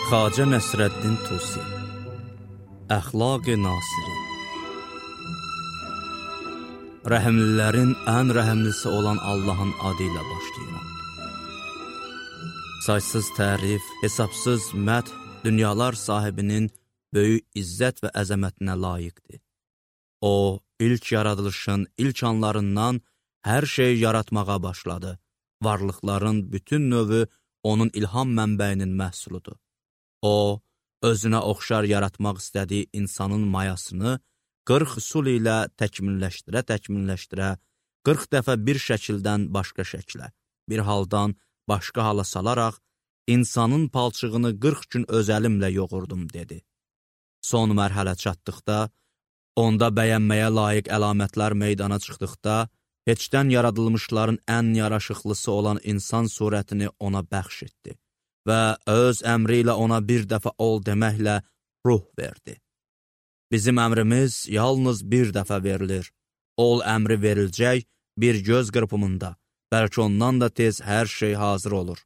Xacə Nəsrəddin Tusi Əxlaq-ı Nasiri Rəhimlilərin ən rəhimlisi olan Allahın adı ilə başlayıram. Saysız tərif, hesabsız məth dünyalar sahibinin böyük izzət və əzəmətinə layiqdir. O, ilk yaradılışın ilk anlarından hər şey yaratmağa başladı. Varlıqların bütün növü onun ilham mənbəyinin məhsuludur. O, özünə oxşar yaratmaq istədiyi insanın mayasını 40 üsul ilə təkmilləşdirə, 40 dəfə bir şəkildən başqa şəklə, bir haldan başqa hala salaraq, insanın palçığını 40 gün öz əlimlə yoğurdum, dedi. Son mərhələ çatdıqda, onda bəyənməyə layiq əlamətlər meydana çıxdıqda, heçdən yaradılmışların ən yaraşıqlısı olan insan surətini ona bəxş etdi və öz əmri ilə ona bir dəfə ol deməklə ruh verdi. Bizim əmrimiz yalnız bir dəfə verilir. Ol əmri veriləcək bir göz qırpımında, bəlkə ondan da tez hər şey hazır olur.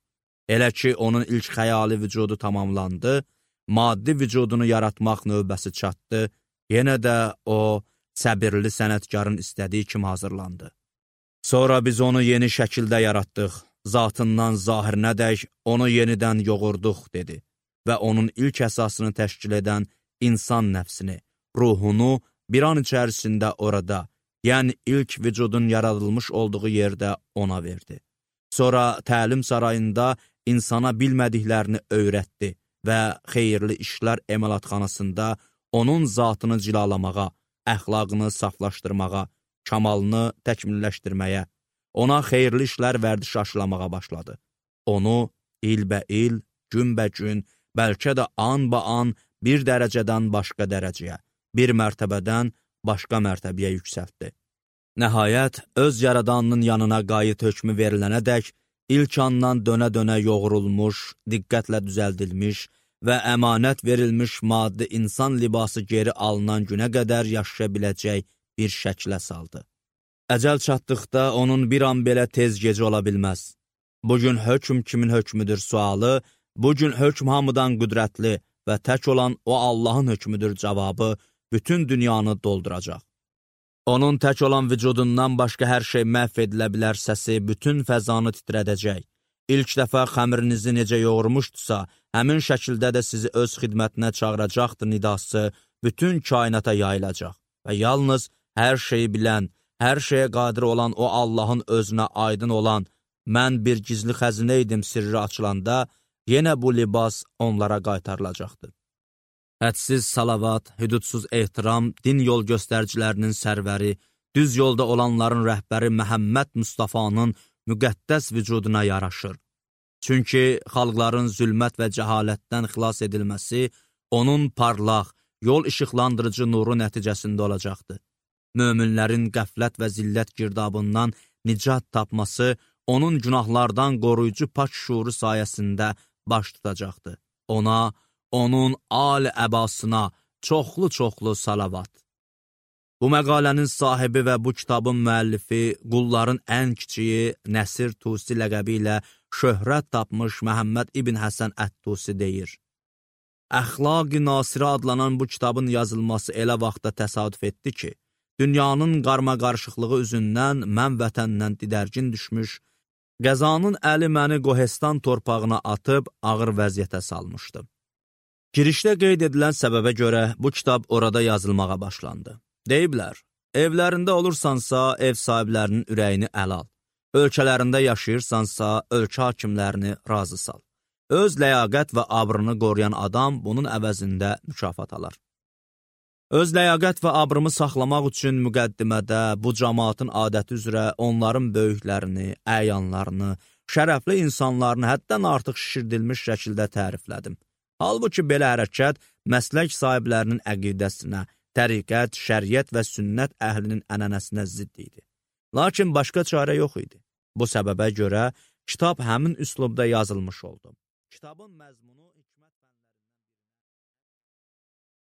Elə ki, onun ilk xəyali vücudu tamamlandı, maddi vücudunu yaratmaq növbəsi çatdı, yenə də o, səbirli sənətkarın istədiyi kimi hazırlandı. Sonra biz onu yeni şəkildə yaratdıq, zatından zahirinədək onu yenidən yoğurduq, dedi və onun ilk əsasını təşkil edən insan nəfsini, ruhunu bir an içərisində orada, yəni ilk vücudun yaradılmış olduğu yerdə ona verdi. Sonra təlim sarayında insana bilmədiklərini öyrətdi və xeyirli işlər emalatxanasında onun zatını cilalamağa, əxlaqını saflaşdırmağa, kamalını təkmilləşdirməyə, ona xeyirli işlər vərdişi aşılamağa başladı. Onu ilbə-il, günbə-gün, bəlkə də an-ba-an bir dərəcədən başqa dərəcəyə, bir mərtəbədən başqa mərtəbəyə yüksəltdi. Nəhayət, öz yaradanının yanına qayıt hökmü verilənədək, ilk andan dönə-dönə yoğurulmuş, diqqətlə düzəldilmiş və əmanət verilmiş maddi insan libası geri alınan günə qədər yaşaya biləcək bir şəklə saldı. Əcəl çatdıqda onun bir an belə tez gecə ola bilməz. Bugün hökm kimin hökmüdür sualı, bugün hökm hamıdan qüdrətli və tək olan o Allahın hökmüdür cavabı bütün dünyanı dolduracaq. Onun tək olan vücudundan başqa hər şey məhv edilə bilər səsi bütün fəzanı titrədəcək. İlk dəfə xəmirinizi necə yoğurmuşdusa, həmin şəkildə də sizi öz xidmətinə çağıracaqdır nidası bütün kainata yayılacaq və yalnız hər şeyi bilən, hər şeyə qadir olan o Allahın özünə aydın olan, mən bir gizli xəzinə idim sirri açılanda, yenə bu libas onlara qaytarılacaqdır. Hədsiz salavat, hüdudsuz ehtiram, din yol göstəricilərinin sərvəri, düz yolda olanların rəhbəri Məhəmməd Mustafanın müqəddəs vücuduna yaraşır. Çünki xalqların zülmət və cəhalətdən xilas edilməsi, onun parlaq, yol işıqlandırıcı nuru nəticəsində olacaqdır. Möminlərin qəflət və zillət girdabından nicat tapması, onun günahlardan qoruyucu pak şuuru sayəsində baş tutacaqdır. Ona, onun âl-əbasına çoxlu-çoxlu salavat. Bu məqalənin sahibi və bu kitabın müəllifi, qulların ən kiçiyi Nəsir Tusi ləqəbi ilə şöhrət tapmış Məhəmməd İbn Həsən Ət-Tusi deyir. Əxlaq-ı Nasiri adlanan bu kitabın yazılması elə vaxtda təsadüf etdi ki, dünyanın qarma-qarışıqlığı üzündən mən vətəndən didərgin düşmüş, qəzanın əli məni Qohestan torpağına atıb ağır vəziyyətə salmışdı. Girişdə qeyd edilən səbəbə görə bu kitab orada yazılmağa başlandı. Deyiblər, evlərində olursansa, ev sahiblərinin ürəyini əl al. Ölkələrində yaşayırsansa, ölkə hakimlərini razı sal. Öz ləyaqət və abrını qoruyan adam bunun əvəzində mükafat alar. Öz ləyaqət və abrımı saxlamaq üçün müqəddimədə bu cəmaatın adəti üzrə onların böyüklərini, əyanlarını, şərəfli insanlarını həddən artıq şişirdilmiş şəkildə təriflədim. Halbuki belə hərəkət məslək sahiblərinin əqidəsinə, təriqət, şəriət və sünnət əhlinin ənənəsinə zidd idi. Lakin başqa çarə yox idi. Bu səbəbə görə kitab həmin üslubda yazılmış oldu. Kitabın məzmunu